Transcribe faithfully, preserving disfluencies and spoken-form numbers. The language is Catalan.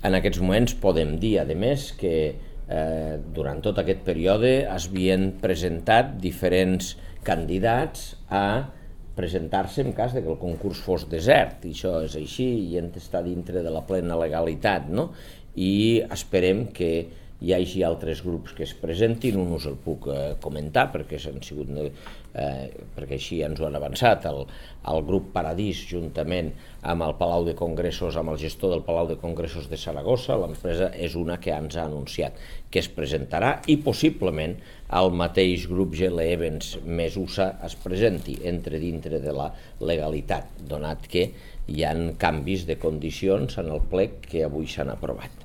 En aquests moments podem dir, a més, que eh, durant tot aquest període s'havien presentat diferents candidats a presentar-se en cas de que el concurs fos desert, i això és així i hem d'estar dintre de la plena legalitat, no? I esperem que hi hagi altres grups que es presentin, un us el puc eh, comentar perquè han sigut, eh, perquè així ens ho han avançat, el, el grup Paradís juntament amb el Palau de Congressos, amb el gestor del Palau de Congressos de Saragossa. L'empresa és una que ens ha anunciat que es presentarà i possiblement el mateix grup G L Events més U S A es presenti, entre dintre de la legalitat, donat que hi ha canvis de condicions en el plec que avui s'han aprovat.